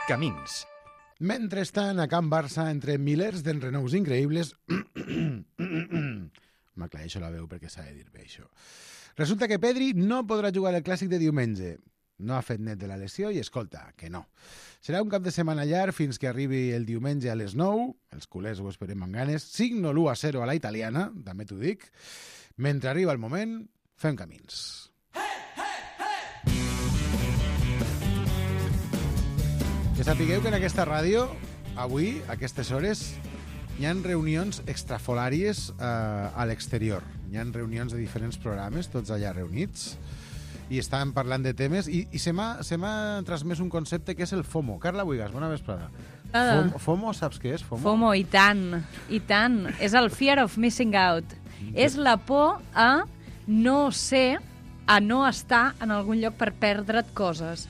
Camins. Mentrestant, a Can Barça, entre milers d'enrenous increïbles... M'aclareixo la veu perquè s'ha de dir bé, això. Resulta que Pedri no podrà jugar el clàssic de diumenge. No ha fet net de la lesió i, escolta, que no. Serà un cap de setmana llarg fins que arribi el diumenge a les 9. Els culers ho esperem amb ganes. Signo l'1-0 a la italiana, també t'ho dic. Mentre arriba el moment, fem camins. Que sapigueu que en aquesta ràdio, avui, a aquestes hores, hi ha reunions extrafolàries a l'exterior. Hi ha reunions de diferents programes, tots allà reunits, i estàvem parlant de temes, i se m'ha transmès un concepte que és el FOMO. Carla Buigas, bona vesprada. FOMO, saps què és? FOMO, i tant, i tant. És el fear of missing out. És la por a no ser, a no estar en algun lloc per perdre't coses.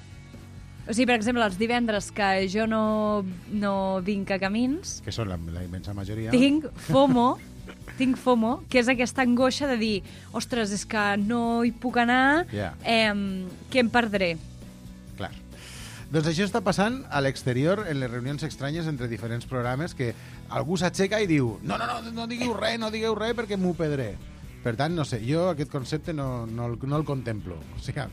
O sigui, per exemple, els divendres que jo no vinc a Camins... Que són la immensa majoria. Tinc FOMO, que és aquesta angoixa de dir, ostres, és que no hi puc anar, que em perdré. Clar. Doncs això està passant a l'exterior en les reunions estranyes entre diferents programes, que algú s'aixeca i diu no digueu res perquè m'ho perdré. Per tant, no sé, jo aquest concepte no el contemplo. O sigui,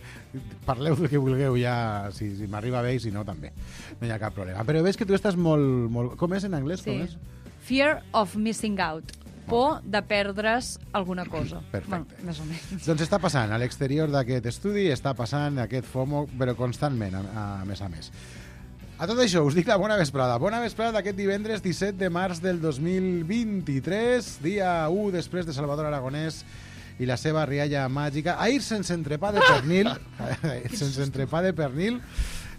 parleu del que vulgueu ja, si m'arriba bé i si no, també. No hi ha cap problema. Però veig que tu estàs molt... Com és en anglès? Sí. Com és? Fear of missing out. Por de perdre's alguna cosa. Perfecte. Bueno, més o menys. Doncs està passant, a l'exterior d'aquest estudi, està passant aquest FOMO, però constantment, a més a més. A tot això, us dic la bona vesprada. Bona vesprada d'aquest divendres 17 de març del 2023, dia 1 després de Salvador Aragonès i la seva rialla màgica. Ahir sense entrepà de pernil,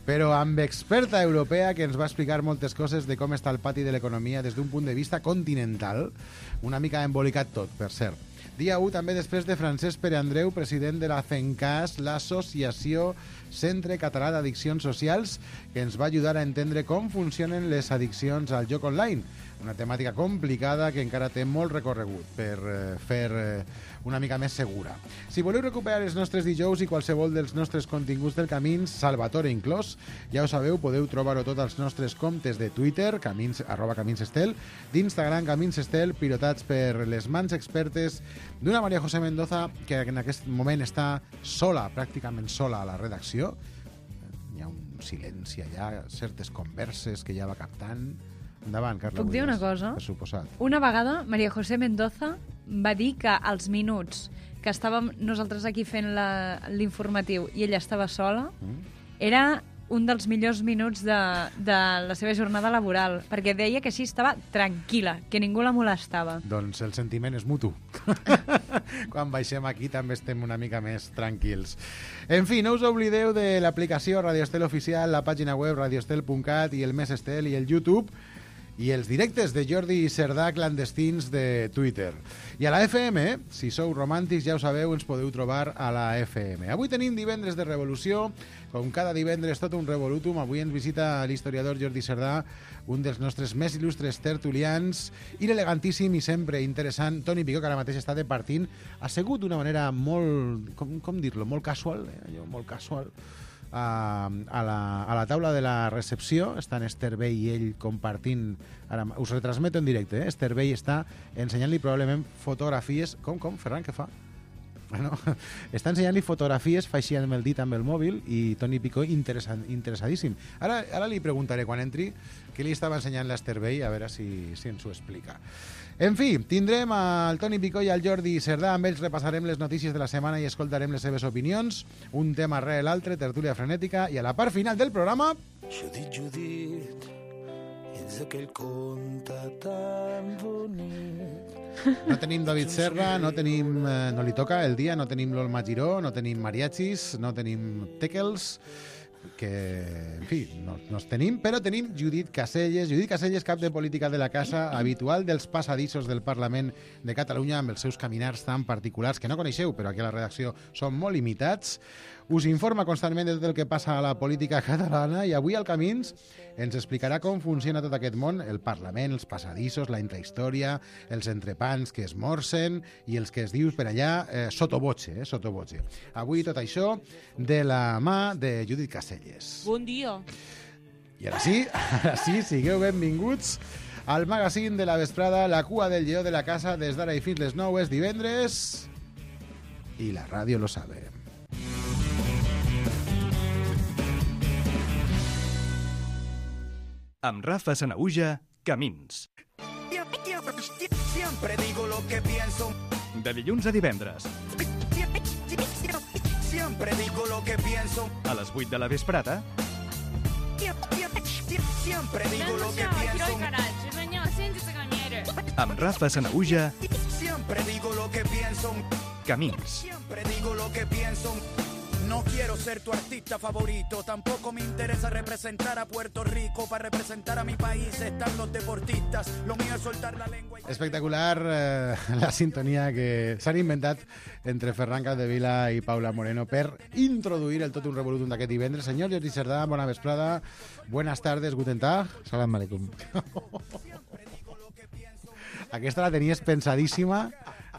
però amb experta europea que ens va explicar moltes coses de com està el pati de l'economia des d'un punt de vista continental. Una mica embolicat tot, per cert. Dia 1 també després de Francesc Pere Andreu, president de la CENCAS, l'Associació Centre Català d'Addiccions Socials, que ens va ajudar a entendre com funcionen les addiccions al joc online. Una temàtica complicada que encara té molt recorregut per fer una mica més segura. Si voleu recuperar els nostres dijous i qualsevol dels nostres continguts del Camins, Salvatore inclòs, ja ho sabeu, podeu trobar-ho tots als nostres comptes de Twitter, @caminsestel, d'Instagram, Caminsestel, pilotats per les mans expertes d'una María José Mendoza que en aquest moment està sola, pràcticament sola a la redacció. Hi ha un silenci allà, certes converses que ja va captant. Endavant, Carla. Puc dir una cosa? Per suposat. Una vegada, María José Mendoza va dir que als minuts que estàvem nosaltres aquí fent l'informatiu i ella estava sola, era un dels millors minuts de la seva jornada laboral, perquè deia que així estava tranquil·la, que ningú la molestava. Doncs el sentiment és mutu. Quan baixem aquí també estem una mica més tranquils. En fi, no us oblideu de l'aplicació Radio Estel Oficial, la pàgina web radioestel.cat i el Més Estel i el YouTube, i els directes de Jordi Cerdà clandestins de Twitter. I a la FM, si sou romàntics, ja ho sabeu, ens podeu trobar a la FM. Avui tenim divendres de revolució, com cada divendres tot un revolutum. Avui ens visita l'historiador Jordi Cerdà, un dels nostres més il·lustres tertulians, i l'elegantíssim i sempre interessant Toni Picó, que ara mateix està departint, assegut d'una manera molt, com dir-lo, molt casual, molt casual, a la taula de la recepció. Estan Esther Bey i ell compartint, ara us retransmeto en directe, Esther Bey està ensenyant-li probablement fotografies, com, Ferran, què fa? Bueno, està ensenyant-li fotografies, fa així amb el dit amb el mòbil, i Toni Picó interessadíssim. Ara li preguntaré quan entri què li estava ensenyant l'Esther Bey, a veure si ens ho explica. En fi, tindrem al Toni Picó i al Jordi Cerdà, amb ells repassarem les notícies de la setmana i escoltarem les seves opinions, un tema rere l'altre, tertúlia frenètica, i a la part final del programa... Judit, ets aquell conte tan bonic. No tenim David Serra, no li toca el dia, no tenim l'Olma Giró, no tenim mariachis, no tenim teckels, que, en fi, no els tenim, però tenim Judit Caselles, cap de política de la casa, habitual dels passadissos del Parlament de Catalunya, amb els seus caminars tan particulars que no coneixeu, però aquí a la redacció són molt limitats. Us informa constantment de tot el que passa a la política catalana, i avui al Camins ens explicarà com funciona tot aquest món, el Parlament, els passadissos, la intrahistòria, els entrepans que es morsen i els que es dius per allà sottovoce. Avui tot això de la mà de Judit Caselles. Bon dia. I ara sí, sigueu benvinguts al magazín de la vesprada, la cua del lleó de la casa, des d'ara i fins les 9 és divendres i la ràdio lo sabe. Amb Rafa Sanahuja, Camins. Siempre digo lo que pienso. De dilluns a divendres, Siempre digo lo que pienso. a les 8 de la vesprada, Siempre digo lo que pienso. amb Rafa Sanahuja, Siempre digo lo que pienso. Camins. Siempre digo lo que pienso. No quiero ser tu artista favorito, tampoco me interesa representar a Puerto Rico. Para representar a mi país están los deportistas. Lo mío es soltar la lengua. Espectacular la sintonia que s'han inventat entre Ferran Capdevila i Paula Moreno per introduir el Totum Revolutum d'aquest divendres. Senyor Jordi Cerdà, bona vesprada, buenas tardes, guten tag. Salam aleikum. Aquesta la tenies pensadíssima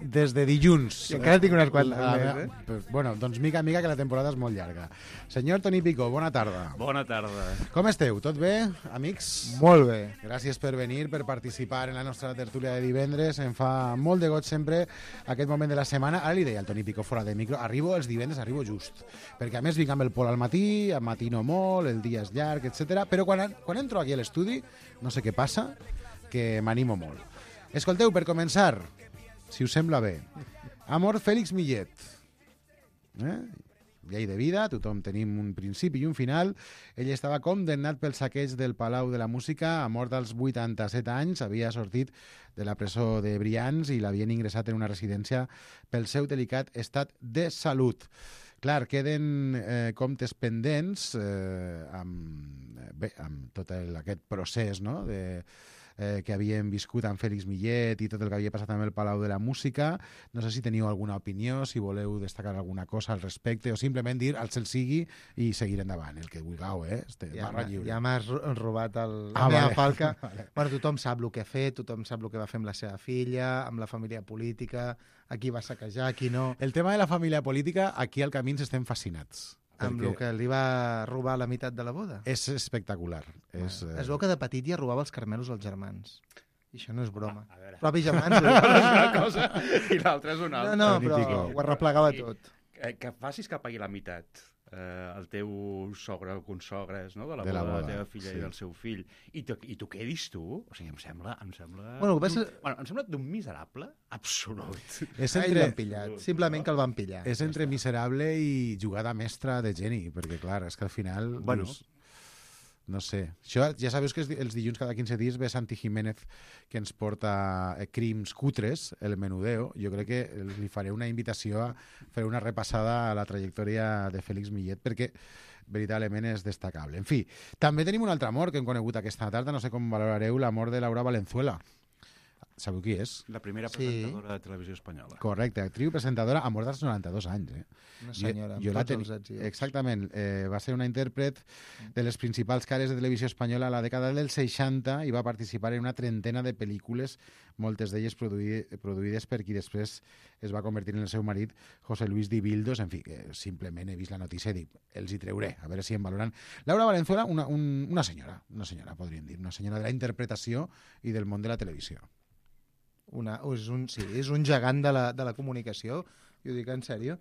des de dilluns. I encara tinc unes quantes Ah, més, Bueno, doncs mica en mica, que la temporada és molt llarga. Senyor Toni Picó, bona tarda. Bona tarda. Com esteu? Tot bé, amics? Molt bé. Gràcies per venir, per participar en la nostra tertúlia de divendres. Em fa molt de goig sempre aquest moment de la setmana. Ara li deia al Toni Picó fora de micro, arribo els divendres, arribo just. Perquè a més vinc amb el Pol al matí matino molt, el dia és llarg, etc. Però quan entro aquí a l'estudi, no sé què passa, que m'animo molt. Escolteu, per començar, si us sembla bé, Amor Félix Millet. Llei de vida, tothom tenim un principi i un final. Ell estava condemnat pel saqueig del Palau de la Música a mort als 87 anys. Havia sortit de la presó de Brians i l'havien ingressat en una residència pel seu delicat estat de salut. Clar, queden comptes pendents amb tot aquest procés, no?, que havíem viscut amb Félix Millet i tot el que havia passat amb el Palau de la Música. No sé si teniu alguna opinió, si voleu destacar alguna cosa al respecte o simplement dir al cel sigui i seguir endavant, el que vulgueu, barra lliure. Ja m'has robat la Ah, meva vale. falca. Vale. Bueno, tothom sap el que ha fet, tothom sap el que va fer amb la seva filla, amb la família política, a qui va saquejar, a qui no, El tema de la família política, aquí al Camins estem fascinats. amb perquè el que li va robar la meitat de la boda. és espectacular. Es veu que de petit ja robava els carmelos als germans. I això no és broma. A veure. Propis germans. Una cosa i l'altra és una altra. No, Ni però pico. ho arreplegava tot. Que facis que pagui la meitat el teu sogre o consogres, no?, de la De la boda de la boda, teva filla sí. i del seu fill, i tu quedis tu, o sigui, em sembla... Bueno, el que passa- em sembla d'un miserable absolut. És Ell entre, l'han pillat, simplement que el van pillar. és entre miserable i jugada mestra de geni, perquè clar, és que al final... Bueno. Dius, no sé. Això, ja sabeu que els dilluns cada 15 dies ve Santi Jiménez que ens porta crims cutres, el menudeo. Jo crec que li faré una invitació a fer una repassada a la trajectòria de Félix Millet, perquè veritablement és destacable. En fi, també tenim un altre amor que hem conegut aquesta tarda, no sé com valorareu l'amor de Laura Valenzuela. Sabeu qui és? La primera Sí. presentadora de televisió espanyola. Correcte, actriu i presentadora, amor dels 92 anys. Una senyora, amb la tots els èxits. Exactament, va ser una intèrpret de les principals cares de televisió espanyola a la dècada dels 60 i va participar en una trentena de pel·lícules, moltes d'elles produïdes per qui després es va convertir en el seu marit, José Luis Dibildos. En fi, que simplement he vist la notícia i dic, els hi treuré, a veure si em valoran. Laura Valenzuela, una senyora, podríem dir, una senyora de la interpretació i del món de la televisió. És un gegant de la comunicació, i ho dic en sèrio.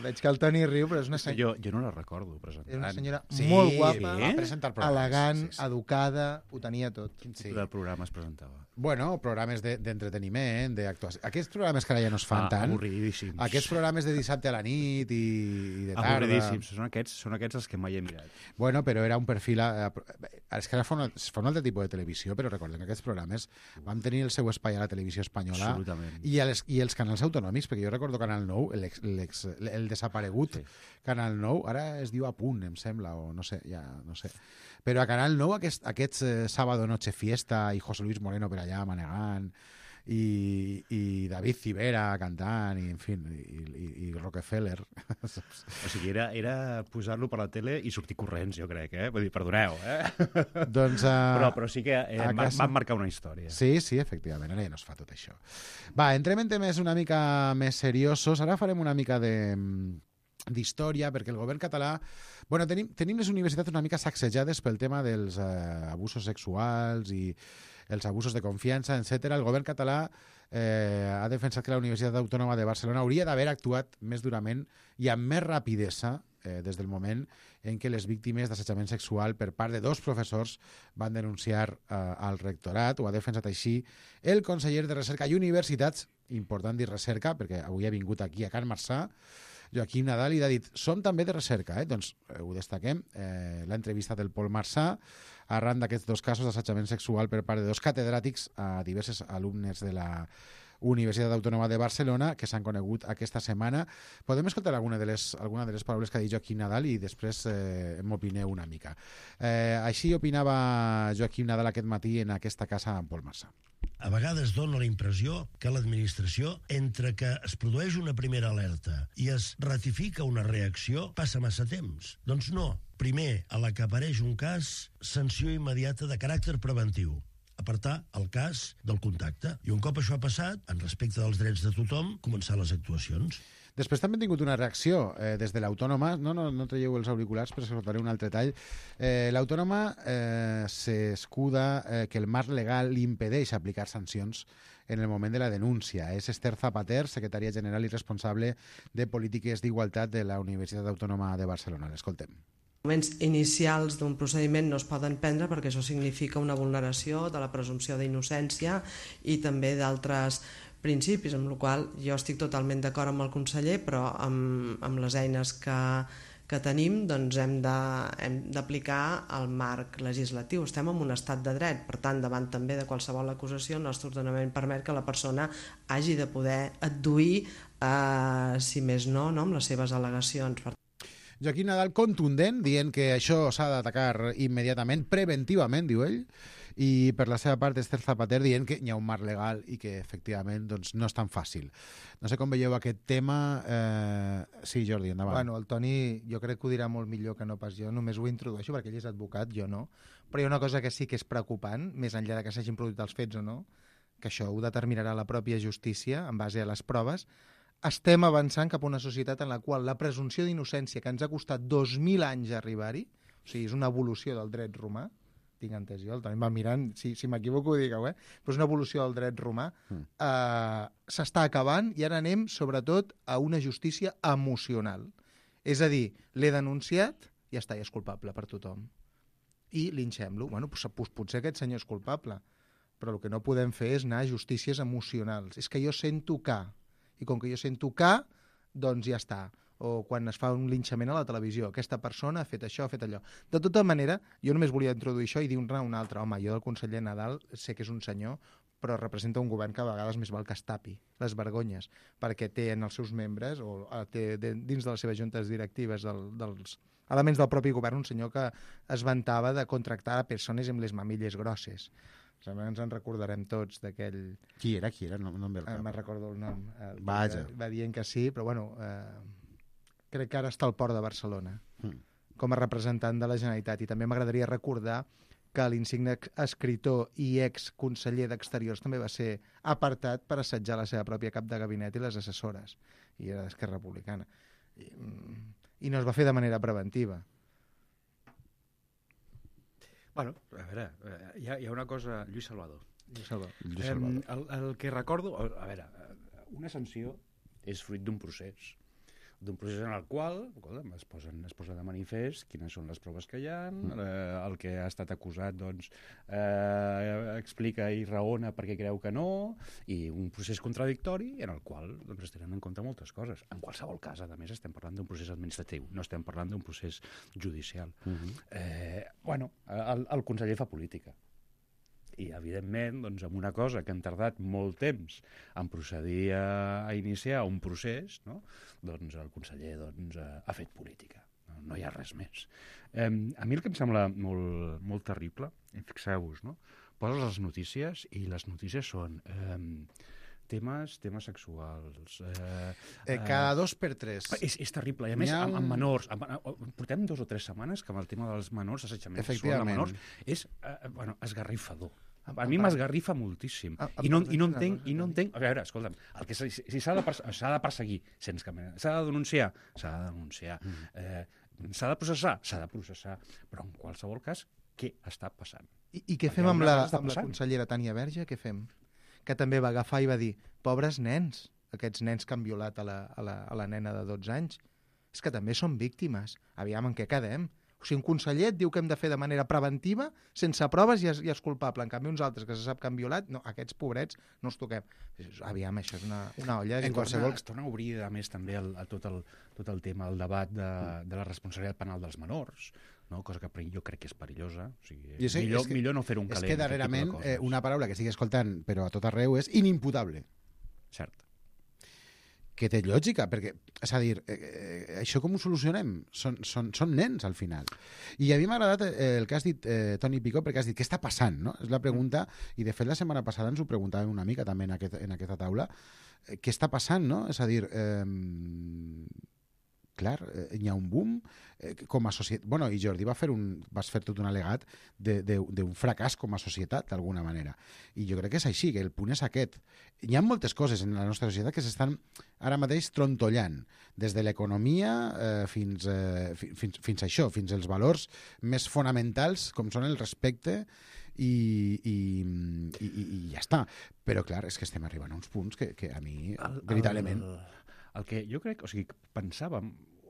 Veig que el Toni riu, però és una senyora, Jo no la recordo presentant. és una senyora Sí, molt guapa, va presentar programes. elegant, Sí. educada, ho tenia tot. Quin tipus de programa es presentava? Bueno, programes d'entreteniment, d'actuació. Aquests programes que ara ja no es fan tant. Avorridíssims. Aquests programes de dissabte a la nit i de tarda. Avorridíssims. Són aquests els que mai he mirat. Bueno, però era un perfil... És que ara fa un altre tipus de televisió, però recordem que aquests programes van tenir el seu espai a la televisió espanyola Absolutament. i els canals autonòmics, perquè jo recordo Canal 9, el desaparegut Canal 9, ara es diu A Punt, em sembla, o no sé, ja no sé. Però a Canal 9 aquests Sábado Noche Fiesta i José Luis Moreno per allà manegant i David Civera cantant i en fi, i Rockefeller. O sigui, era posar-lo per la tele i sortir corrents, jo crec, Vull dir, perdoneu, Doncs, Però sí que a casa- van marcar una història. Sí, efectivament, ara ja no es fa tot això. Va, entrem en temes una mica més seriosos. Ara farem una mica d'història, perquè el govern català... Bueno, tenim les universitats una mica sacsejades pel tema dels abusos sexuals i els abusos de confiança, etc. El govern català ha defensat que la Universitat Autònoma de Barcelona hauria d'haver actuat més durament i amb més rapidesa des del moment en què les víctimes d'assetjament sexual per part de 2 professors van denunciar al rectorat. Ho ha defensat així el conseller de Recerca i Universitats, important dir recerca, perquè avui ha vingut aquí a Can Marçà, Joaquim Nadal, i ha dit, som també de recerca, doncs ho destaquem, l'entrevista del Pol Marçà, arran d'aquests 2 casos d'assetjament sexual per part de 2 catedràtics a diversos alumnes de la Universitat Autònoma de Barcelona que s'han conegut aquesta setmana. Podem escoltar alguna de les paraules que ha dit Joaquim Nadal i després m'opineu una mica. Així opinava Joaquim Nadal aquest matí en aquesta casa amb Pol Marçà. A vegades dona la impressió que l'administració, entre que es produeix una primera alerta i es ratifica una reacció, passa massa temps. Doncs no. Primer, a la que apareix un cas, sanció immediata de caràcter preventiu. Apartar el cas del contacte. I un cop això ha passat, en respecte dels drets de tothom, començar les actuacions. Després també hem tingut una reacció des de l'Autònoma. No traieu els auriculars, però escoltaré un altre tall. L'Autònoma s'escuda que el marc legal li impedeix aplicar sancions en el moment de la denúncia. És Esther Zapater, secretària general i responsable de polítiques d'igualtat de la Universitat Autònoma de Barcelona. L'escoltem. Moments inicials d'un procediment no es poden prendre perquè això significa una vulneració de la presumpció d'innocència i també d'altres principis, amb la qual jo estic totalment d'acord amb el conseller, però amb les eines que tenim doncs hem d'aplicar el marc legislatiu. Estem en un estat de dret, per tant, davant també de qualsevol acusació, el nostre ordenament permet que la persona hagi de poder adduir, si més no, amb les seves al·legacions. Joaquim Nadal contundent, dient que això s'ha d'atacar immediatament, preventivament, diu ell, i per la seva part Esther Zapater dient que hi ha un marc legal i que efectivament doncs, no és tan fàcil. No sé com veieu aquest tema. Sí, Jordi, endavant. Bueno, el Toni jo crec que ho dirà molt millor que no pas jo, només ho introdueixo perquè ell és advocat, jo no. Però hi ha una cosa que sí que és preocupant, més enllà de que s'hagin produït els fets o no, que això ho determinarà la pròpia justícia en base a les proves. Estem avançant cap a una societat en la qual la presumpció d'innocència, que ens ha costat 2.000 anys arribar-hi, o sigui, és una evolució del dret romà, tinc entès jo, el Toni va mirant, si m'equivoco ho digueu, però és una evolució del dret romà, s'està acabant i ara anem sobretot a una justícia emocional. És a dir, l'he denunciat i ja està, ja és culpable per tothom. I linxem-lo. Bueno, potser aquest senyor és culpable, però el que no podem fer és anar a justícies emocionals. És que jo sento que... I com que jo sento que, doncs ja està. O quan es fa un linxament a la televisió, aquesta persona ha fet això, ha fet allò. De tota manera, jo només volia introduir això i dir-ne un altre. Home, jo del conseller Nadal sé que és un senyor, però representa un govern que a vegades més val que es tapi les vergonyes, perquè té en els seus membres, o té dins de les seves juntes directives dels elements del propi govern, un senyor que es vantava de contractar a persones amb les mamilles grosses. Ens en recordarem tots d'aquell... Qui era? No em ve el cap. Me'n recordo el nom. Vaja. Va dient que sí, però bueno, crec que ara està al Port de Barcelona com a representant de la Generalitat. I també m'agradaria recordar que l'insigne escriptor i exconseller d'Exteriors també va ser apartat per assetjar la seva pròpia cap de gabinet i les assessores. I era d'Esquerra Republicana. I no es va fer de manera preventiva. Bueno, a veure, hi ha una cosa... Lluís Salvador. El que recordo... A veure, una sanció és fruit d'un procés en el qual es posa de manifest quines són les proves que hi ha, el que ha estat acusat doncs, explica i raona perquè creu que no, i un procés contradictori en el qual doncs, es tenen en compte moltes coses. En qualsevol cas, a més, estem parlant d'un procés administratiu, no estem parlant d'un procés judicial. El conseller fa política. I, evidentment, doncs, amb una cosa que han tardat molt temps en procedir a iniciar un procés, no? Doncs el conseller ha fet política. No hi ha res més. A mi el que em sembla molt terrible, fixeu-vos, no? Poses les notícies i les notícies són temes sexuals. Cada 2 per 3. És terrible. I a més, amb menors. Portem 2 o 3 setmanes que amb el tema dels menors, assetjament sexual de menors, és esgarrifador. A mi m'esgarrifa moltíssim. I no entenc... A veure, escolta'm, si s'ha de perseguir, s'ha de denunciar, s'ha de denunciar. S'ha de processar. Però en qualsevol cas, què està passant? I què fem amb la consellera Tània Verge? Què fem? Que també va agafar i va dir, pobres nens, aquests nens que han violat a la nena de 12 anys, és que també són víctimes. Aviam, en què quedem? O sigui, un conseller et diu que hem de fer de manera preventiva, sense proves i és culpable. En canvi, uns altres que se sap que han violat, no, aquests pobrets no els toquem. Aviam, això és una olla. En qualsevol... Es torna a obrir, a més, també tot el tema, el debat de la responsabilitat penal dels menors, no? Cosa que jo crec que és perillosa. O sigui, millor no fer un calent. És que darrerament una paraula que estic escoltant, però a tot arreu, és inimputable. Cert. Que té lògica, perquè, és a dir, això com ho solucionem? Són nens, al final. I a mi m'ha agradat el que has dit, Toni Picó, perquè has dit, què està passant? No? És la pregunta, i de fet la setmana passada ens ho preguntàvem una mica també en aquesta taula, què està passant, no? És a dir, clar, hi ha un boom com a societat. Bueno, i Jordi vas fer tot un al·legat d'un fracàs com a societat, d'alguna manera. I jo crec que és així, que el punt és aquest. Hi ha moltes coses en la nostra societat que s'estan ara mateix trontollant, des de l'economia fins a això, fins als valors més fonamentals, com són el respecte i ja està. Però, clar, és que estem arribant a uns punts que a mi, veritablement... El que jo crec, o sigui, pensàvem,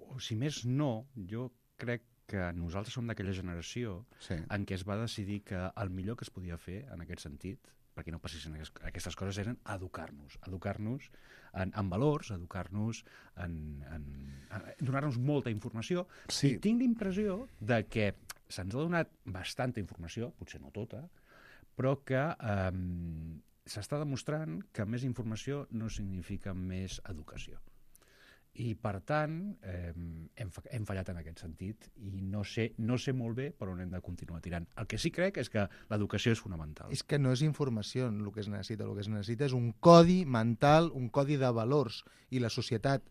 o si més no, jo crec que nosaltres som d'aquella generació en què es va decidir que el millor que es podia fer en aquest sentit, perquè no passessin aquestes coses, eren educar-nos en valors, educar-nos donar-nos molta informació. I tinc l'impressió de que se'ns ha donat bastanta informació, potser no tota, però que s'està demostrant que més informació no significa més educació. I, per tant, hem fallat en aquest sentit i no sé molt bé per on hem de continuar tirant. El que sí crec és que l'educació és fonamental. És que no és informació el que es necessita. El que es necessita és un codi mental, un codi de valors. I la societat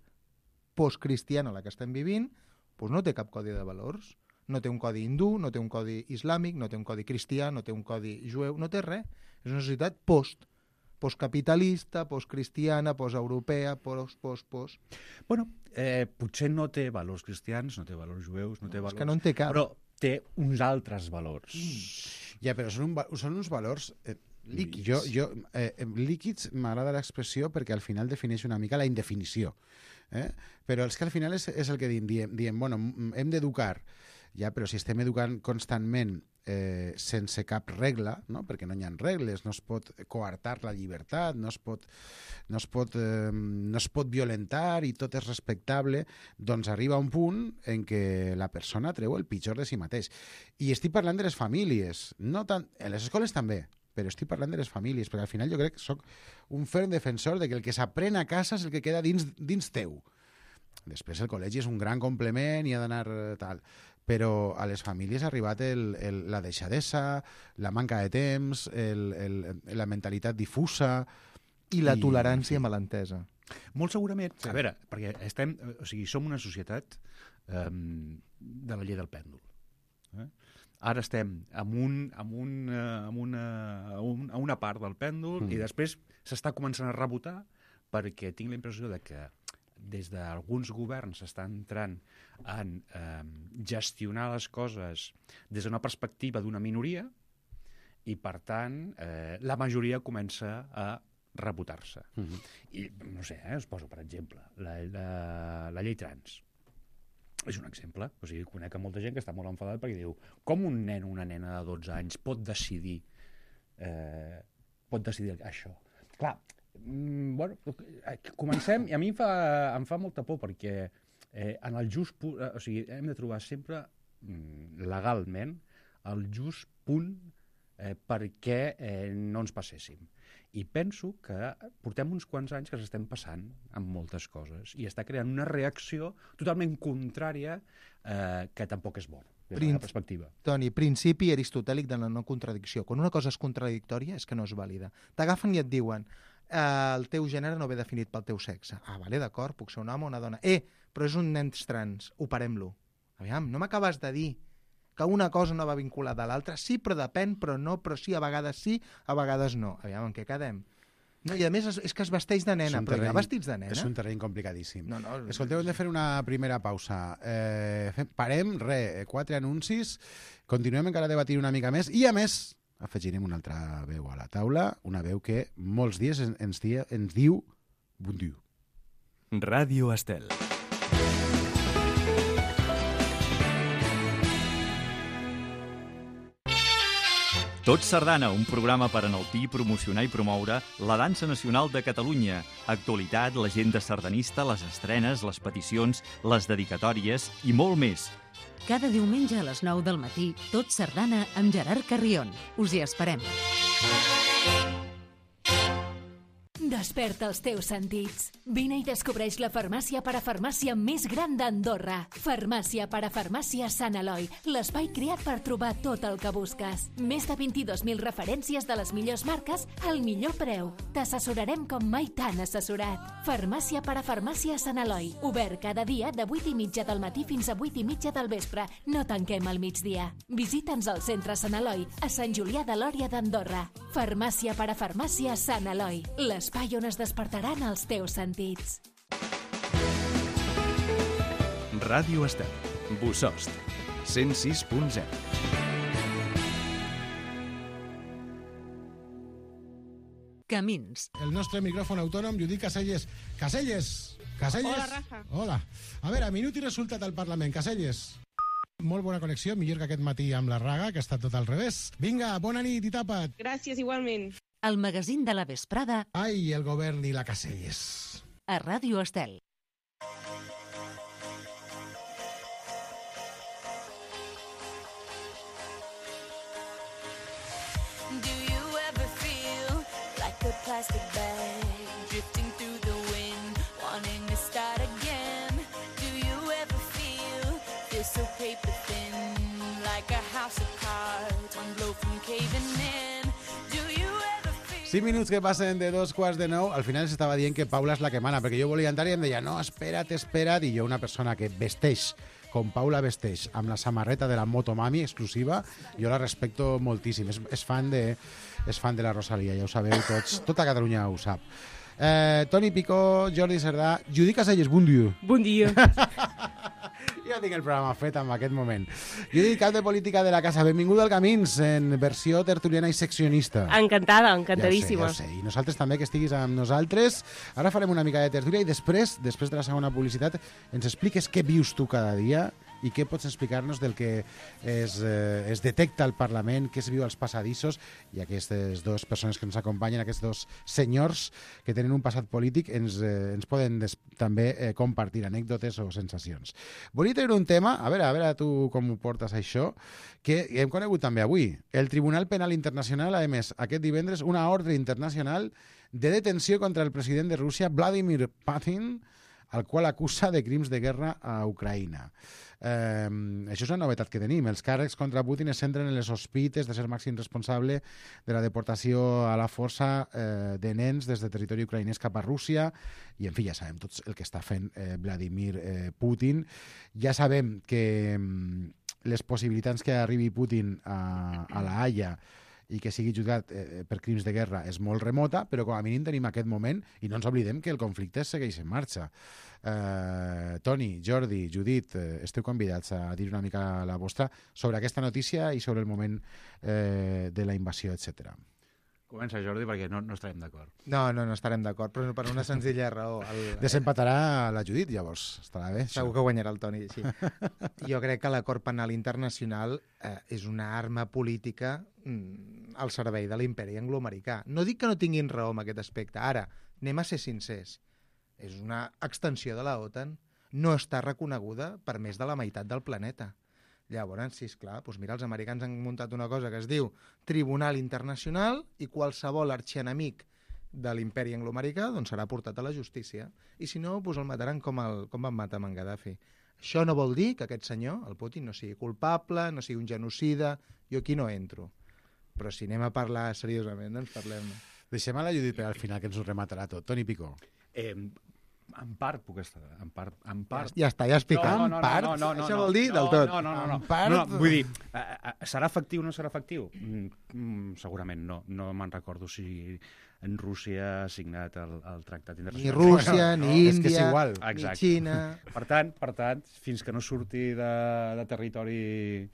postcristiana, la que estem vivint, doncs no té cap codi de valors. No té un codi hindú, no té un codi islàmic, no té un codi cristià, no té un codi jueu, no té res. És una societat postcapitalista, postcristiana, posteuropea, post. Bueno, potser no té valors cristians, no té valors jueus, no té valors... És que no en té cap. Però té uns altres valors. Ja, però són uns valors líquids. Líquids m'agrada l'expressió perquè al final defineix una mica la indefinició. Però és que al final és el que diem, bueno, hem d'educar, ja, però si estem educant constantment sense cap regla, no? Perquè no hi ha regles, no es pot coartar la llibertat, no es pot violentar i tot és respectable, doncs arriba un punt en què la persona treu el pitjor de si mateix. I estic parlant de les famílies, no tant, en les escoles també, però estic parlant de les famílies, perquè al final jo crec que soc un ferm defensor de que el que s'aprèn a casa és el que queda dins teu. Després el col·legi és un gran complement i ha d'anar tal, però a les famílies ha arribat la deixadesa, la manca de temps, la mentalitat difusa... I la tolerància mal entesa. Molt segurament. Sí. A veure, perquè som una societat de la llei del pèndol. Ara estem a una part del pèndol i després s'està començant a rebotar perquè tinc la impressió de que des d'alguns governs s'està entrant en gestionar les coses des d'una perspectiva d'una minoria i, per tant, la majoria comença a rebotar-se. I, no sé, us poso, per exemple, la llei trans. És un exemple. O sigui, conec molta gent que està molt enfadat perquè diu com un nen o una nena de 12 anys pot decidir això. Clar, bueno, comencem, i a mi em fa molta por perquè en el just punt, o sigui, hem de trobar sempre legalment el just punt perquè no ens passéssim. I penso que portem uns quants anys que s'estem passant amb moltes coses i està creant una reacció totalment contrària que tampoc és bona des de la perspectiva. Toni, principi aristotèlic de la no contradicció. Quan una cosa és contradictòria és que no és vàlida. T'agafen i et diuen el teu gènere no ve definit pel teu sexe. Ah, vale, d'acord, puc ser un home o una dona. Però és un nen trans, operem-lo. Aviam, no m'acabes de dir que una cosa no va vinculada a l'altra. Sí, però depèn, però no, però sí, a vegades sí, a vegades no. Aviam, en què quedem? No, I a més és que es vesteix de nena, però hi ha vestits de nena. És un terreny complicadíssim. No. Escolteu, hem de fer una primera pausa. Parem, 4 anuncis, continuem encara debatint una mica més i, a més, afegirem una altra veu a la taula, una veu que molts dies ens diu bon dia. Ràdio Estel. Tot Sardana, un programa per enaltir, promocionar i promoure la dansa nacional de Catalunya. Actualitat, l'agenda sardanista, les estrenes, les peticions, les dedicatòries i molt més. Cada diumenge a les 9 del matí, Tot Sardana amb Gerard Carrion. Us hi esperem. Desperta els teus sentits. Vine i descobreix la farmàcia parafarmàcia més gran d'Andorra. Farmàcia parafarmàcia Sant Eloi, l'espai creat per trobar tot el que busques. Més de 22.000 referències de les millors marques al millor preu. T'assessorarem com mai t'han assessorat. Farmàcia parafarmàcia Sant Eloi, obert cada dia de 8:30 del matí fins a 8:30 del vespre. No tanquem al migdia. Visita'ns al centre Sant Eloi, a Sant Julià de Lòria d'Andorra. Farmàcia parafarmàcia Sant Eloi, l'espai on es despertaran els teus sentits. Ràdio Estel. Bosost. 106.0. Camins. El nostre micròfon autònom, Judit Caselles. Caselles! Hola, Rafa. Hola. A veure, minut i resultat al Parlament. Caselles. Molt bona connexió, millor que aquest matí amb la Raga, que ha estat tot al revés. Vinga, bona nit i tapa't. Gràcies, igualment. El magazín de la vesprada. Ai, el govern i la Caselles. A Ràdio Estel. Do you ever feel like a plastic bag drifting through the wind, wanting to start again? Do you ever feel so paper thin, like a house of cards, one blow from caving in? 5 minuts que passen de 2:15. Al final s'estava dient que Paula és la que mana, perquè jo volia entrar i em deia, no, espera't, i jo, una persona que vesteix com Paula vesteix, amb la samarreta de la Motomami exclusiva, jo la respecto moltíssim. És fan de la Rosalia, ja ho sabeu tots. Tota Catalunya ho sap. Toni Picó, Jordi Cerdà, Judit Caselles, bon dia. Bon dia. Ja tinc el programa fet en aquest moment. Judit, cap de política de la casa. Benvinguda al Camins, en versió tertuliana i seccionista. Encantada, encantadíssima. Ja ho sé. I nosaltres també, que estiguis amb nosaltres. Ara farem una mica de tertúlia i després de la segona publicitat, ens expliques què vius tu cada dia i què pots explicar-nos del que es detecta al Parlament, què es viu als passadissos, i aquestes dues persones que ens acompanyen, aquests dos senyors que tenen un passat polític, ens poden també compartir anècdotes o sensacions. Volia tenir un tema, a veure tu com ho portes això, que hem conegut també avui. El Tribunal Penal Internacional ha emès aquest divendres una ordre internacional de detenció contra el president de Rússia, Vladimir Putin, al qual acusa de crims de guerra a Ucraïna. Això és una novetat que tenim. Els càrrecs contra Putin es centren en les sospites de ser màxim responsable de la deportació a la força de nens des de territori ucraïnès cap a Rússia, i en fi, ja sabem tots el que està fent Vladimir Putin. Ja sabem que les possibilitats que arribi Putin a la Haia i que sigui jutjat per crims de guerra és molt remota, però com a mínim tenim aquest moment i no ens oblidem que el conflicte segueix en marxa. Toni, Jordi, Judit, esteu convidats a dir una mica la vostra sobre aquesta notícia i sobre el moment de la invasió, etc. Comença, Jordi, perquè no estarem d'acord. No estarem d'acord, però per una senzilla raó. Desempatarà la Judit, llavors. Estarà bé. Segur que guanyarà el Toni, sí. Jo crec que l'acord penal internacional és una arma política al servei de l'imperi angloamericà. No dic que no tinguin raó en aquest aspecte. Ara, anem a ser sincers. És una extensió de la OTAN. No està reconeguda per més de la meitat del planeta. Llavors, sí, esclar, doncs mira, els americans han muntat una cosa que es diu Tribunal Internacional i qualsevol arxienemic de l'imperi angloamericà doncs serà portat a la justícia. I si no, doncs el mataran com van matar amb en Gaddafi. Això no vol dir que aquest senyor, el Putin, no sigui culpable, no sigui un genocida. Jo aquí no entro. Però si anem a parlar seriosament, doncs parlem-ne. Deixem a la Judit per al final, que ens ho rematarà tot. Toni Picó. En part puc estar... En part... Ja està, ja has picat. No, Això vol dir del tot. No, vull dir, serà efectiu o no serà efectiu? Segurament no. No me'n recordo si en Rússia ha signat el tractat internacional. Ni Rússia, ni Índia, ni Xina... Per tant, fins que no surti de territori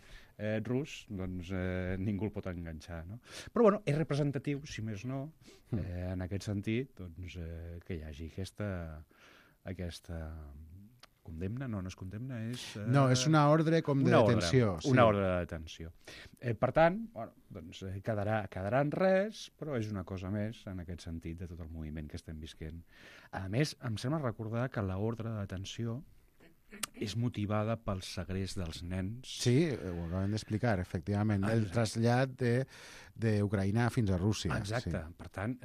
rus, doncs ningú el pot enganxar, no? Però, bueno, és representatiu, si més no, en aquest sentit, doncs, que hi hagi aquesta condemna, no és condemna, és... No, és una ordre com de detenció. Una ordre de detenció. Per tant, bueno, doncs, quedarà en res, però és una cosa més en aquest sentit de tot el moviment que estem visquent. A més, em sembla recordar que l'ordre de detenció és motivada pel segrest dels nens. Sí, ho acabem d'explicar, efectivament. El trasllat d'Ucraïna fins a Rússia. Exacte. Sí. Per tant,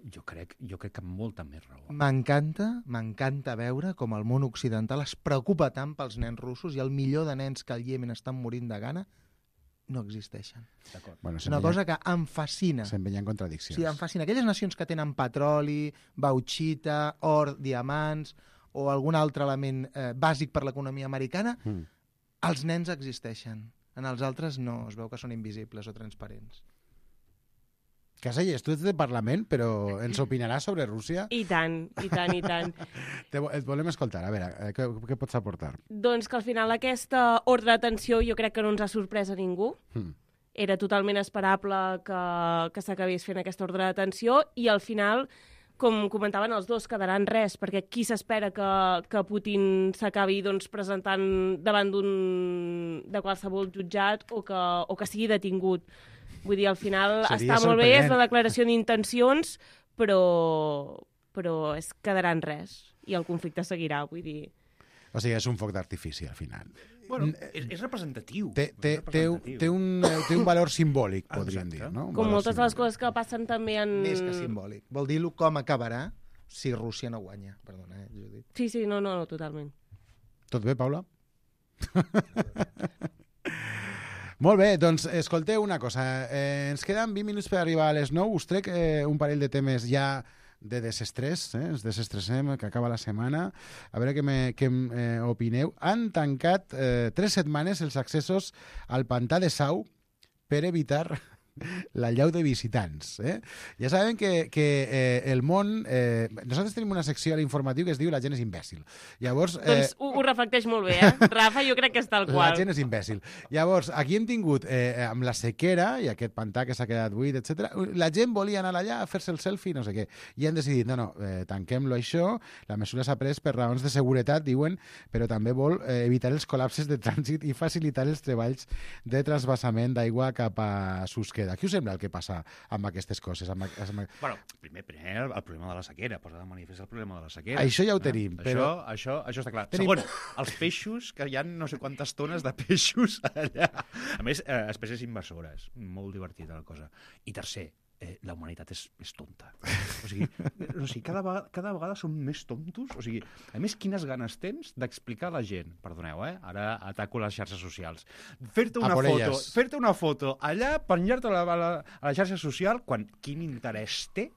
jo crec que amb molta més raó. M'encanta veure com el món occidental es preocupa tant pels nens russos i el millor de nens que al Iemen estan morint de gana no existeixen. Bueno, una cosa que em fascina. Se'n veien contradiccions. Sí, em fascina. Aquelles nacions que tenen petroli, bauxita, or, diamants o algun altre element bàsic per l'economia americana, els nens existeixen. En els altres no, es veu que són invisibles o transparents. Caselles, tu ets de Parlament, però ens opinaràs sobre Rússia? I tant. Et volem escoltar. A veure, què pots aportar? Doncs que al final aquesta ordre d'atenció jo crec que no ens ha sorprès a ningú. Era totalment esperable que s'acabés fent aquesta ordre d'atenció i al final, com comentaven els dos, quedaran res, perquè qui s'espera que Putin s'acabi presentant davant de qualsevol jutjat o que sigui detingut. Vull dir, al final està molt bé, és la declaració d'intencions, però quedaran res i el conflicte seguirà, vull dir... O sigui, és un foc d'artifici, al final. Bueno, és representatiu. Té un valor simbòlic, podríem dir, no? Com moltes de les coses que passen també en... Més que simbòlic. Vol dir-lo com acabarà si Rússia no guanya. Perdona, Judit. Sí, no, totalment. Tot bé, Paula? Molt bé, doncs escolteu una cosa. Ens queden 20 minuts per arribar a les 9. Us trec un parell de temes ja de desestrès, ens desestressem, que acaba la setmana. A veure què opineu. Han tancat 3 setmanes els accessos al pantà de Sau per evitar l'allau de visitants. Ja sabem que el món... nosaltres tenim una secció a l'informatiu que es diu La gent és imbècil. Llavors, doncs ho reflecteix molt bé, Rafa, jo crec que és tal qual. La gent és imbècil. Llavors, aquí hem tingut, amb la sequera i aquest pantà que s'ha quedat buit, etc. La gent volia anar allà a fer-se el selfie, no sé què. I han decidit, no, tanquem-lo això, la mesura s'ha pres per raons de seguretat, diuen, però també vol evitar els col·lapses de trànsit i facilitar els treballs de transvasament d'aigua cap a Susqueda. Què us sembla el que passa amb aquestes coses? Bueno, primer el problema de la sequera, posa de manifest el problema de la sequera. Això ja ho tenim, però... Això està clar. Segon, els peixos, que hi ha no sé quantes tones de peixos allà. A més, espècies invasores. Molt divertida la cosa. I tercer, la humanitat és tonta. O sigui, cada vegada són més tontos. O sigui, a més, quines ganes tens d'explicar a la gent, perdoneu, ara ataco les xarxes socials, fer-te una foto allà, penjar-te a la xarxa social, quan quin interès té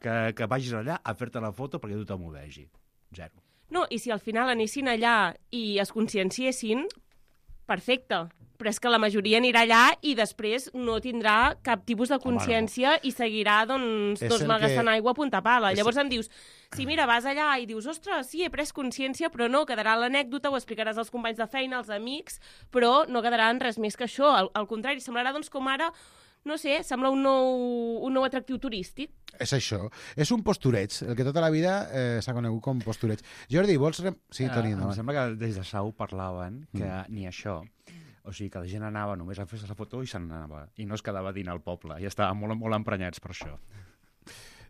que vagis allà a fer-te la foto perquè tothom ho vegi? Zero. No, i si al final anessin allà i es conscienciessin, perfecte. Però és que la majoria anirà allà i després no tindrà cap tipus de consciència i seguirà, malgastant aigua a punta pala. Llavors em dius, si mira, vas allà i dius, ostres, sí, he pres consciència, però no, quedarà l'anècdota, ho explicaràs als companys de feina, als amics, però no quedarà en res més que això. Al contrari, semblarà com ara, no sé, sembla un nou atractiu turístic. És això. És un postureig, el que tota la vida s'ha conegut com postureig. Jordi, vols... Sí, Toni, endavant. Em sembla que des de Sau parlaven que ni això... O sigui, que la gent anava només a fer-se la foto i se'n anava. I no es quedava a dinar al poble. I estaven molt emprenyats per això.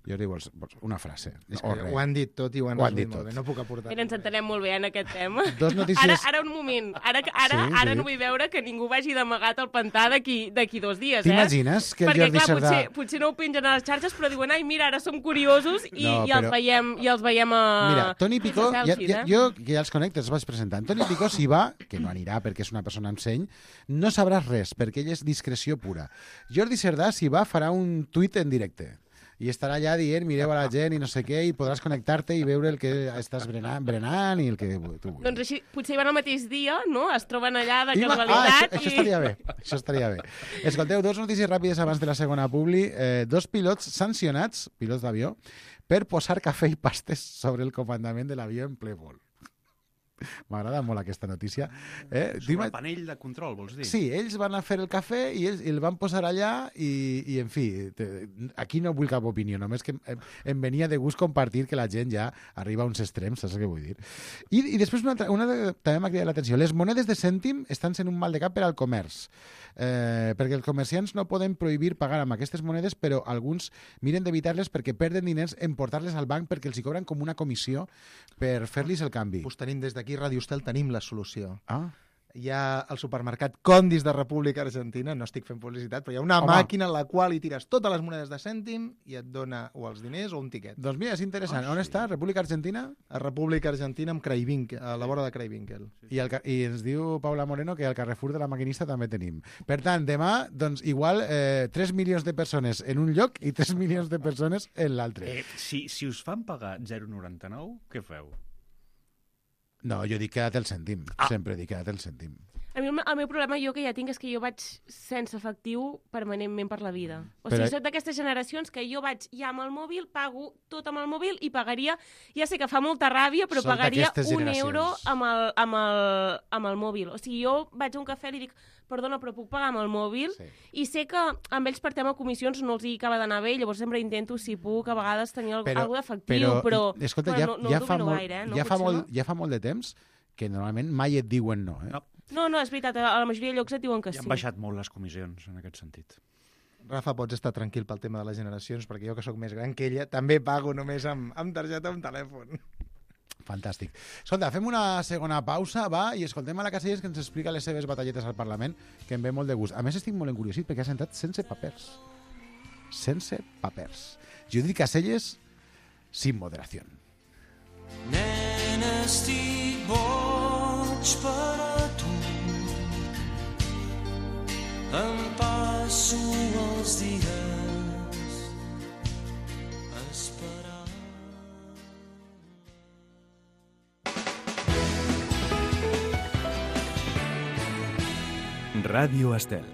Jordi, vols una frase? Ho han dit tot i ho han resumit molt bé. No puc aportar. Mira, ens entenem molt bé en aquest tema. Dos notícies... Ara un moment. Ara no vull veure que ningú vagi d'amagat al pantà d'aquí 2 dies, T'imagines que el Perquè, Jordi Cerdà... potser no ho pengen a les xarxes, però diuen, ai, mira, ara som curiosos i els veiem a... Mira, Toni Picó, jo que ja els connecto, els vaig presentant. Toni Picó, si va, que no anirà perquè és una persona amb seny, no sabràs res, perquè ell és discreció pura. Jordi Cerdà, si va, farà un tuit en directe. i estarà allà dient, mireu a la gent i no sé què, i podràs connectar-te i veure el que estàs berenant i el que tu vulguis. Doncs així, potser van el mateix dia, no? Es troben allà de casualitat. Això estaria bé, això estaria bé. Escolteu, 2 notícies ràpides abans de la segona publi. 2 pilots sancionats, pilots d'avió, per posar cafè i pastes sobre el comandament de l'avió en ple vol. M'agrada molt aquesta notícia. Sobre el panell de control, vols dir? Sí, ells van a fer el cafè i ells el van posar allà i en fi, aquí no vull cap opinió, només que em venia de gust compartir que la gent ja arriba a uns extrems, saps què vull dir? I després una també m'ha cridat l'atenció. Les monedes de cèntim estan sent un mal de cap per al comerç, perquè els comerciants no poden prohibir pagar amb aquestes monedes, però alguns miren d'evitar-les perquè perden diners en portar-les al banc perquè els hi cobren com una comissió per fer-los el canvi. Pues tenim des d'aquí Radio Estel tenim la solució. Ah. Hi ha al supermercat Condis de República Argentina, no estic fent publicitat, però hi ha una màquina en la qual hi tires totes les monedes de cèntim i et dona o els diners o un tiquet. Doncs mira, és interessant. On està? República Argentina? A República Argentina amb Craivinkel, a la vora de Craivinkel. I ens diu Paula Moreno que al Carrefour de la Maquinista també tenim. Per tant, demà, doncs, igual 3 milions de persones en un lloc i 3 milions de persones en l'altre. Si us fan pagar 0,99, què feu? No, jo dic queda't el cèntim. Sempre dic queda't el cèntim. A mi el meu problema jo que ja tinc és que jo vaig sense efectiu permanentment per la vida. O sigui, soc d'aquestes generacions que jo vaig ja amb el mòbil, pago tot amb el mòbil i pagaria, ja sé que fa molta ràbia, però pagaria €1 amb el mòbil. O sigui, jo vaig a un cafè i li dic, perdona, però puc pagar amb el mòbil? Sí. I sé que amb ells per tema comissions no els hi acaba d'anar bé, llavors sempre intento, si puc, a vegades tenir alguna d'efectiu, però escolta, no domino gaire. Ja fa molt de temps que normalment mai et diuen no. No, és veritat, a la majoria de llocs et diuen que sí. I han baixat molt les comissions en aquest sentit. Rafa, pots estar tranquil pel tema de les generacions, perquè jo que sóc més gran que ella també pago només amb targeta o amb telèfon. Fantàstic. Escolta, fem una segona pausa, va, i escoltem a la Casellas que ens explica les seves batalletes al Parlament, que em ve molt de gust. A més, estic molt encuriosit perquè ha sentat sense papers. Sense papers. Judit Casellas, sin moderación. Nena, estic boig per a tu. Em passo els dies esperant. Ràdio Estel.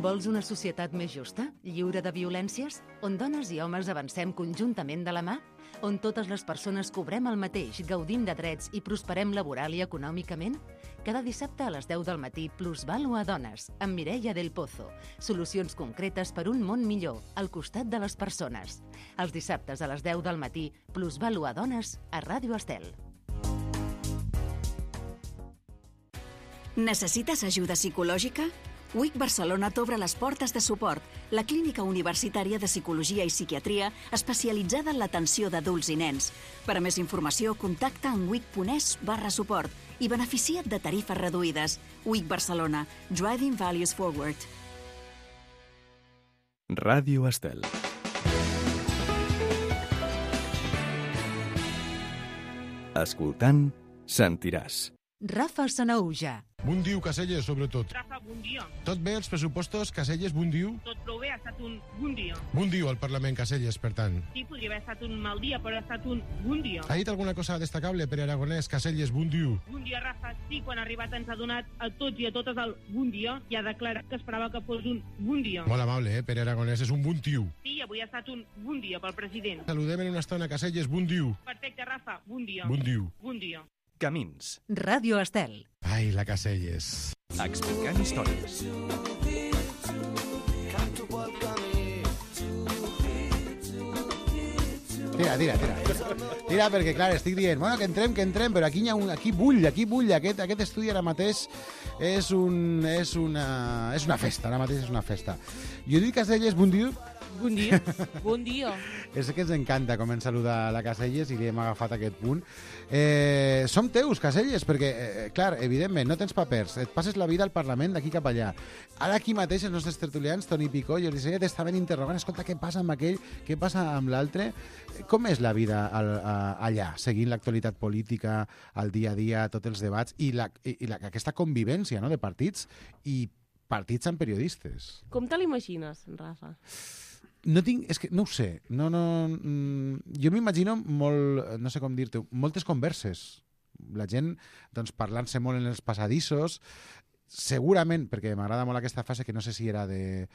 Vols una societat més justa, lliure de violències, on dones i homes avancem conjuntament de la mà? On totes les persones cobrem el mateix, gaudim de drets i prosperem laboral i econòmicament? Cada dissabte a les 10 del matí, Plusvalue a Dones, amb Mireia del Pozo. Solucions concretes per un món millor, al costat de les persones. Els dissabtes a les 10 del matí, Plusvalue a Dones, a Ràdio Estel. Necessites ajuda psicològica? WIC Barcelona t'obre les portes de suport, la clínica universitària de psicologia i psiquiatria especialitzada en l'atenció d'adults i nens. Per a més informació, contacta amb wic.es/suport i beneficia't de tarifes reduïdes. WIC Barcelona. Driving Values Forward. Ràdio Estel. Escoltant, sentiràs. Rafa Sanaúja. Bon dia, Casellas, sobretot. Rafa, bon dia. Tot bé, els pressupostos, Casellas, bon dia? Tot prou bé, ha estat un bon dia. Bon dia al Parlament, Casellas, per tant. Sí, podria haver estat un mal dia, però ha estat un bon dia. Ha dit alguna cosa destacable per Aragonès, Casellas, bon dia? Bon dia, Rafa. Sí, quan ha arribat ens ha donat a tots i a totes el bon dia i ha declarat que esperava que fos un bon dia. Molt amable, Pere Aragonès, és un bon tio. Sí, avui ha estat un bon dia pel president. Saludem en una estona, Casellas, bon dia. Perfecte, Rafa, bon dia. Bon dia. Bon dia. Camins. Ràdio Estel. Ai, la Casellas. Explicant històries. Tira, perquè, clar, estic dient, bueno, que entrem, però aquí bull, aquest estudi ara mateix és una festa, ara mateix és una festa. Judit Casellas, bon dia. Bon dia. Bon dia. És que ens encanta com ens saluda la Casellas i li hem agafat aquest punt. Som teus, Casellas, perquè, clar, evidentment, no tens papers, et passes la vida al Parlament d'aquí cap allà. Ara aquí mateix els nostres tertulians, Toni Picó i Odissea, t'estaven interrogant, escolta, què passa amb aquell, què passa amb l'altre? Com és la vida allà, seguint l'actualitat política, el dia a dia, tots els debats i aquesta convivència, no?, de partits i partits amb periodistes. Com te l'imagines, Rafa? És que no ho sé. Jo m'imagino molt, no sé com dir-te, moltes converses. La gent doncs, parlant-se molt en els passadissos, segurament, perquè m'agrada molt aquesta fase que no sé si era de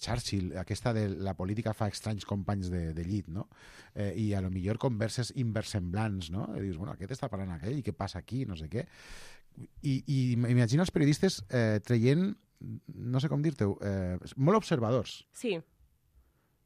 Churchill, aquesta de la política fa estranys companys de llit, no? I a lo millor converses inversemblants, no? I dius, bueno, aquest està parlant aquell, i què passa aquí, no sé què. I m'imagino els periodistes traient, no sé com dir-te-ho, molt observadors. Sí.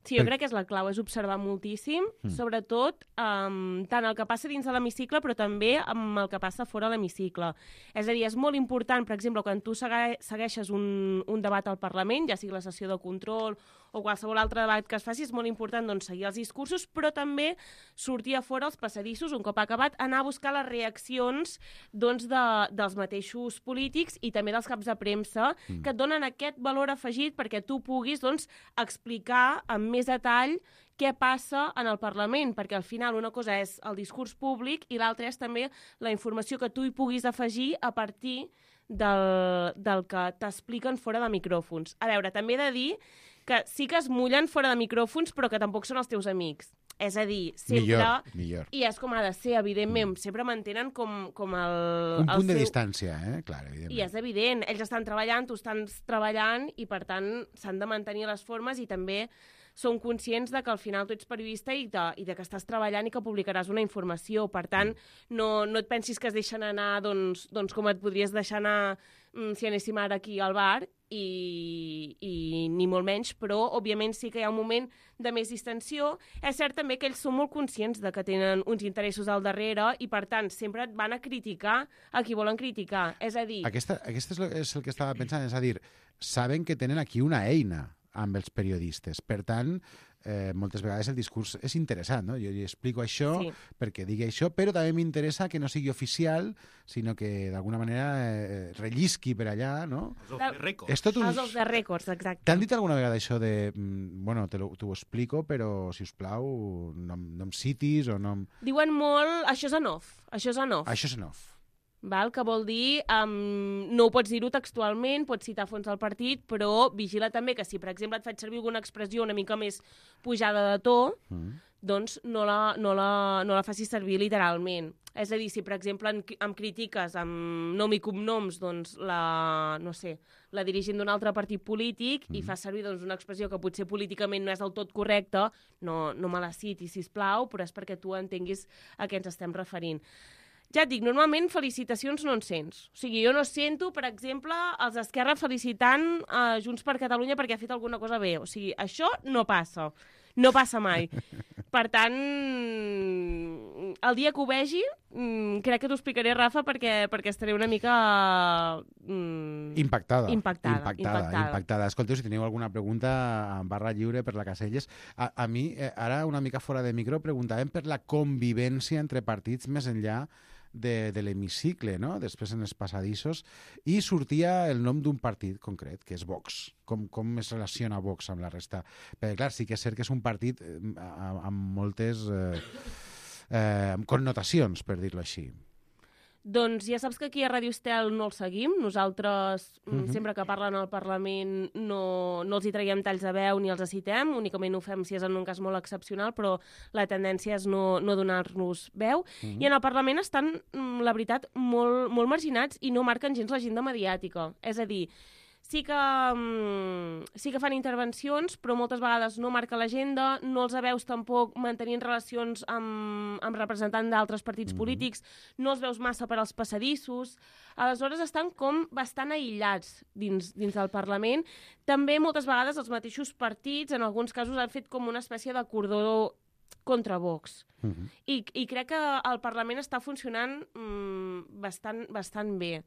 Sí, jo crec que és la clau, és observar moltíssim, sobretot tant el que passa dins de l'hemicicle, però també amb el que passa fora de l'hemicicle. És a dir, és molt important, per exemple, quan tu segueixes un debat al Parlament, ja sigui la sessió de control o qualsevol altre debat que es faci, és molt important doncs, seguir els discursos, però també sortir a fora als passadissos, un cop acabat, anar a buscar les reaccions doncs, dels mateixos polítics i també dels caps de premsa, que et donen aquest valor afegit perquè tu puguis doncs, explicar amb més detall què passa en el Parlament, perquè al final una cosa és el discurs públic i l'altra és també la informació que tu hi puguis afegir a partir del que t'expliquen fora de micròfons. A veure, també he de dir que sí que es mullen fora de micròfons, però que tampoc són els teus amics. És a dir, sempre... Millor. I és com ha de ser, evidentment. Sempre mantenen com el... Un punt de distància, clar, evidentment. I és evident. Ells estan treballant, tu estàs treballant, i per tant s'han de mantenir les formes i també són conscients de que al final tu ets periodista i de que estàs treballant i que publicaràs una informació. Per tant, no et pensis que es deixen anar doncs com et podries deixar anar si anéssim ara aquí al bar, i ni molt menys, però òbviament sí que hi ha un moment de més distensió. És cert també que ells són molt conscients de que tenen uns interessos al darrere i per tant sempre et van a criticar a qui volen criticar. És a dir... Aquesta és el que estava pensant, és a dir, saben que tenen aquí una eina amb els periodistes. Per tant, moltes vegades el discurs és interessant, no? Jo explico això perquè digui això, però també m'interessa que no sigui oficial, sinó que d'alguna manera rellisqui per allà, no? Els off the records, exacte. T'han dit alguna vegada això de, bueno, t'ho explico, però, si us plau, no em citis o no... Diuen molt, això és en off, això és en off. Això és en off. Val? Que vol dir, no ho pots dir-ho textualment, pots citar fons del partit, però vigila també que si, per exemple, et faig servir alguna expressió una mica més pujada de to, doncs no la facis servir literalment. És a dir, si, per exemple, em critiques amb nom i cognoms, doncs, la dirigent d'un altre partit polític i fas servir doncs, una expressió que potser políticament no és del tot correcta, no me la citis, sisplau, però és perquè tu entenguis a què ens estem referint. Ja et dic, normalment felicitacions no en sents. O sigui, jo no sento, per exemple, els d'Esquerra felicitant Junts per Catalunya perquè ha fet alguna cosa bé. O sigui, això no passa. No passa mai. Per tant, el dia que ho vegi, crec que t'ho explicaré, Rafa, perquè estaré una mica... Impactada. Escolteu, si teniu alguna pregunta, en barra lliure per la Caselles. A mi, ara, una mica fora de micro, preguntàvem per la convivència entre partits més enllà de l'hemicicle, no? Després en els passadissos, i sortia el nom d'un partit concret, que és Vox. Com es relaciona Vox amb la resta? Perquè, clar, sí que és cert que és un partit amb moltes connotacions, per dir-ho així. Doncs ja saps que aquí a Radio Estel no el seguim. Nosaltres, sempre que parlen al Parlament, no els hi traiem talls de veu ni els citem, únicament ho fem si és en un cas molt excepcional, però la tendència és no donar-nos veu. I en el Parlament estan, la veritat, molt marginats i no marquen gens l'agenda mediàtica. És a dir, sí que fan intervencions, però moltes vegades no marca l'agenda, no els veus tampoc mantenint relacions amb representants d'altres partits polítics, no els veus massa per als passadissos, aleshores estan com bastant aïllats dins del Parlament. També moltes vegades els mateixos partits, en alguns casos, han fet com una espècie de cordó contra Vox. I crec que el Parlament està funcionant bastant bé.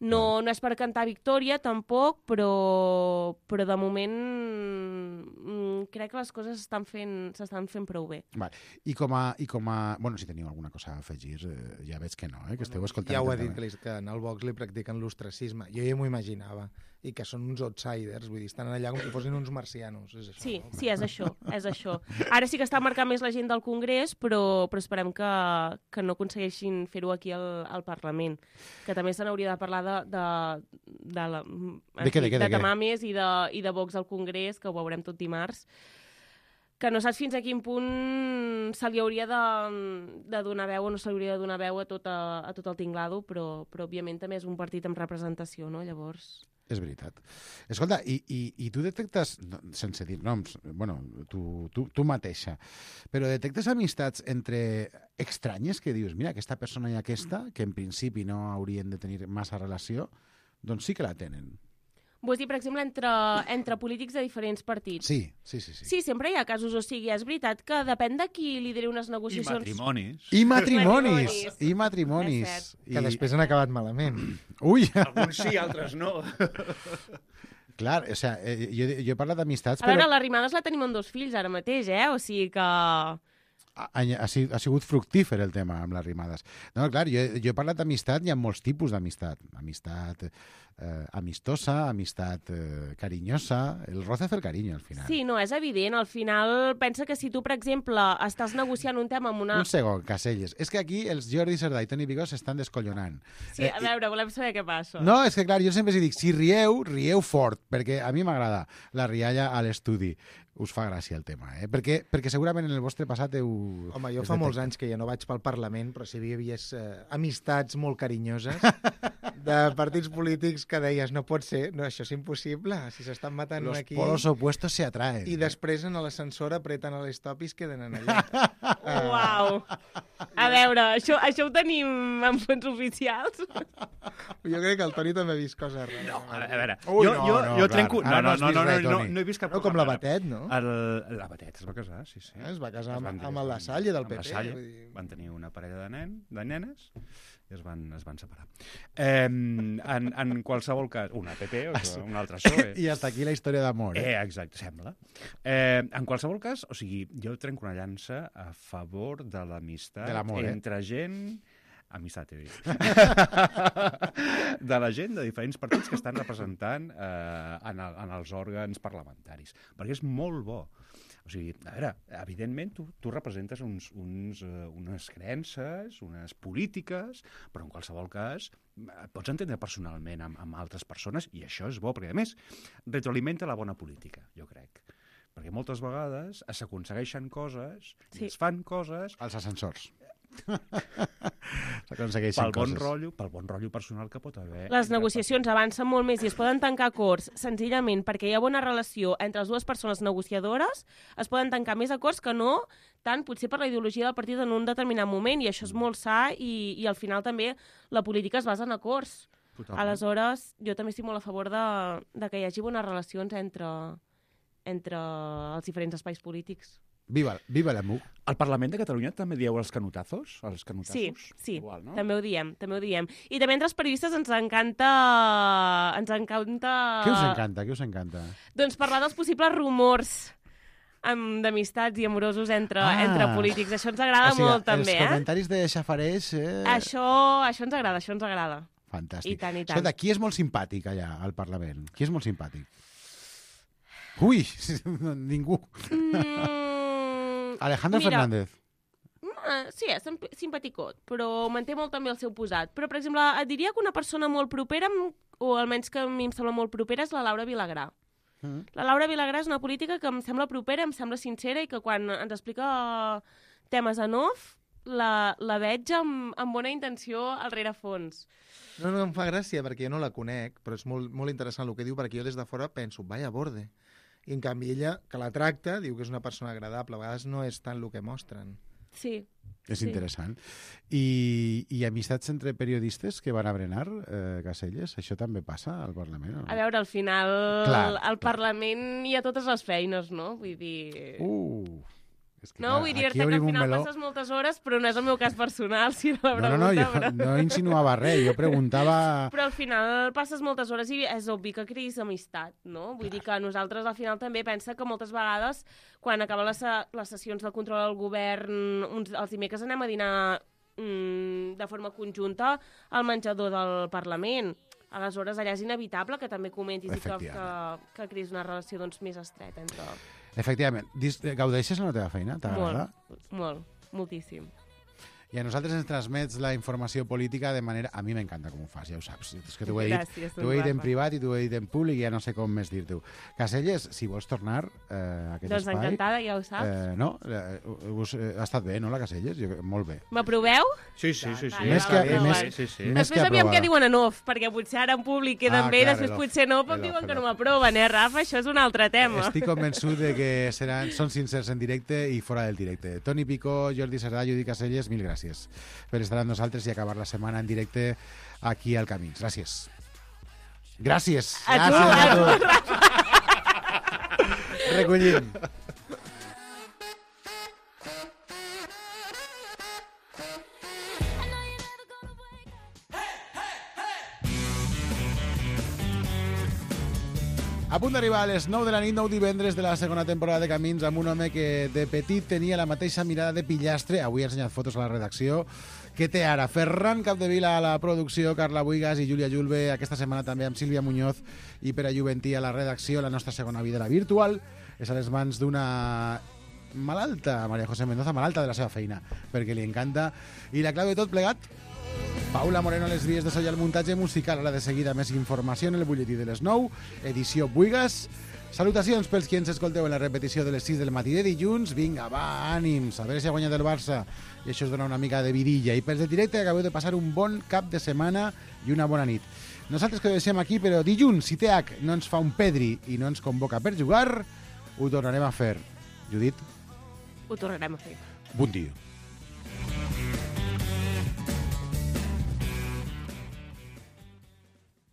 No és per cantar victòria, tampoc, però de moment crec que les coses s'estan fent prou bé. Vale. I com a... Bueno, si teniu alguna cosa a afegir, ja veig que no, que esteu escoltant. Ja ho he dit, que en el Vox li practiquen l'ostracisme. Jo ja m'ho imaginava. I que són uns outsiders, vull dir, estan allà com si fossin uns marcianos. És això, Sí, no? sí, és això. Ara sí que està marcant més la gent del Congrés, però esperem que no aconsegueixin fer-ho aquí al Parlament. Que també se n'hauria de parlar de tamames i de Vox al Congrés, que ho veurem tot dimarts, que no saps fins a quin punt se li hauria de donar veu o no se li hauria de donar veu a tot el tinglado, però òbviament també és un partit amb representació, no? Llavors... És veritat. Escolta, i tu detectes, sense dir noms, bueno, tu mateixa, però detectes amistats entre estranyes que dius, mira, aquesta persona i aquesta, que en principi no haurien de tenir massa relació, doncs sí que la tenen. Vols dir, per exemple, entre polítics de diferents partits? Sí. Sí, sempre hi ha casos, o sigui, és veritat que depèn de qui lideri unes negociacions... I matrimonis. Que després han acabat malament. Ui! Alguns sí, altres no. Clar, o sigui, jo he parlat d'amistats, A veure, l'Arrimadas la tenim amb 2 fills ara mateix, O sigui que... Ha sigut fructífer el tema amb les Arrimadas. No, clar, jo he parlat d'amistat, hi ha molts tipus d'amistat. Amistat amistosa, amistat carinyosa, el roce fer cariño, al final. Sí, no, és evident. Al final, pensa que si tu, per exemple, estàs negociant un tema amb una... Un segon, Caselles. És que aquí els Jordi Cerdà i Toni Vigó s'estan descollonant. Sí, a veure, volem saber què passa. No, és que clar, jo sempre dic, si rieu fort, perquè a mi m'agrada la rialla a l'estudi. Us fa gràcia el tema, perquè segurament en el vostre passat heu... Home, jo fa molts anys que ja no vaig pel Parlament, però si hi havia amistats molt carinyoses de partits polítics que deies, no pot ser, no, això és impossible, si s'estan matant Los aquí... Los polos opuestos se atraen. I després en l'ascensor apreten a l'estop i es queden en allà. Uau! A veure, això ho tenim en fons oficials? Jo crec que el Toni també ha vist coses rares. No, a veure, Ui, jo trenco... No he vist cap... No, com la Batet, no? La Batet es va casar, sí. Es va casar amb el La Salle del PP. Van tenir una parella de nenes i es van separar. En qualsevol cas, una PP o una altra PSOE. I hasta aquí la història d'amor. Exacte, sembla. En qualsevol cas, o sigui, jo trenco una llança a favor de l'amistat entre gent... Amistat, he dit. De la gent de diferents partits que estan representant en els òrgans parlamentaris. Perquè és molt bo. O sigui, a veure, evidentment tu representes unes creences, unes polítiques, però en qualsevol cas et pots entendre personalment amb altres persones i això és bo, perquè a més retroalimenta la bona política, jo crec. Perquè moltes vegades s'aconsegueixen coses i es fan coses... als ascensors. S'aconsegueixen coses. Pel bon rotllo personal que pot haver. Les negociacions avancen molt més i es poden tancar acords senzillament perquè hi ha bona relació entre les dues persones negociadores, es poden tancar més acords que no tant potser per la ideologia del partit en un determinat moment, i això és molt sa i al final també la política es basa en acords. Totalment. Aleshores, jo també estic molt a favor de que hi hagi bones relacions entre els diferents espais polítics. Viva la MUC. Al Parlament de Catalunya també dieu els canutazos? Sí, igual, no? també ho diem. I també entre els periodistes ens encanta... Què us encanta? Doncs parlar dels possibles rumors d'amistats i amorosos entre polítics. Això ens agrada molt, també. Els comentaris de xafareix... Això ens agrada. Fantàstic. I tant. Escolta, qui és molt simpàtic allà al Parlament? Qui és molt simpàtic? Ui, ningú. Alejandro Fernández. Sí, és simpaticot, però manté molt també el seu posat. Però, per exemple, et diria que una persona molt propera, o almenys que a mi em sembla molt propera, és la Laura Vilagrà. La Laura Vilagrà és una política que em sembla propera, em sembla sincera, i que quan ens explica temes en off, la veig amb bona intenció al rerefons. No, em fa gràcia, perquè jo no la conec, però és molt interessant el que diu, perquè jo des de fora penso, vaya borde. I en canvi ella, que la tracta, diu que és una persona agradable. A vegades no és tant el que mostren. Sí. És interessant. I amistats entre periodistes que van a berenar, Caselles? Això també passa al Parlament? O no? A veure, al final, al Parlament hi ha totes les feines, no? Vull dir... És que, No, vull dir-te que al final passes moltes hores, però no és el meu cas personal, si la pregunta. No, jo no insinuava res, jo preguntava... Però al final passes moltes hores i és obvi que creïs amistat, no? Vull dir que nosaltres al final també pensa que moltes vegades, quan acaben les sessions de control al govern, els dimecres anem a dinar de forma conjunta al menjador del Parlament. Aleshores, allà és inevitable que també comentis i que creïs una relació doncs, més estreta entre... Efectivament. Gaudeixes en la teva feina? T'agrada? Molt, moltíssim. I a nosaltres ens transmets la informació política de manera... A mi m'encanta com ho fas, ja ho saps. És que t'ho he dit en privat i t'ho he dit en públic i ja no sé com més dir-t'ho. Caselles, si vols tornar a aquest espai... Doncs encantada, ja ho saps. No? Ha estat bé, no, la Caselles? Molt bé. M'aproveu? Sí. Més que després aviam què diuen en off, perquè potser ara en públic queden bé, després potser no, però diuen que no m'aproven, Rafa? Això és un altre tema. Estic convençut de que són sincers en directe i fora del directe. Toni Picó, Jordi Cerdà, Judit Caselles, mil gràcies per estar amb nosaltres i acabar la setmana en directe aquí al Camins. Gràcies. Gràcies. A tu. Recollim. A punt d'arribar a les 9 de la nit, 9 divendres de la segona temporada de Camins, amb un home que de petit tenia la mateixa mirada de pillastre, avui ha ensenyat fotos a la redacció, que té ara Ferran Capdevila a la producció, Carla Buigas i Júlia Julve, aquesta setmana també amb Sílvia Muñoz i Pere Juventí a la redacció. La nostra segona vida, la virtual, és a les mans d'una malalta, María José Mendoza, malalta de la seva feina, perquè li encanta. I la clau de tot plegat, Paula Moreno a les vies de so i al muntatge musical. Ara de seguida més informació en el butlletí de les 9, edició Buigas. Salutacions pels qui ens escolteu en la repetició de les 6 del matí de dilluns. Vinga, va, ànims, a veure si ha guanyat el Barça i això us dona una mica de vidilla. I pels de directe acabeu de passar un bon cap de setmana i una bona nit. Nosaltres que ho deixem aquí, però dilluns, si TH no ens fa un pedri i no ens convoca per jugar, ho tornarem a fer. Judit? Ho tornarem a fer. Bon dia.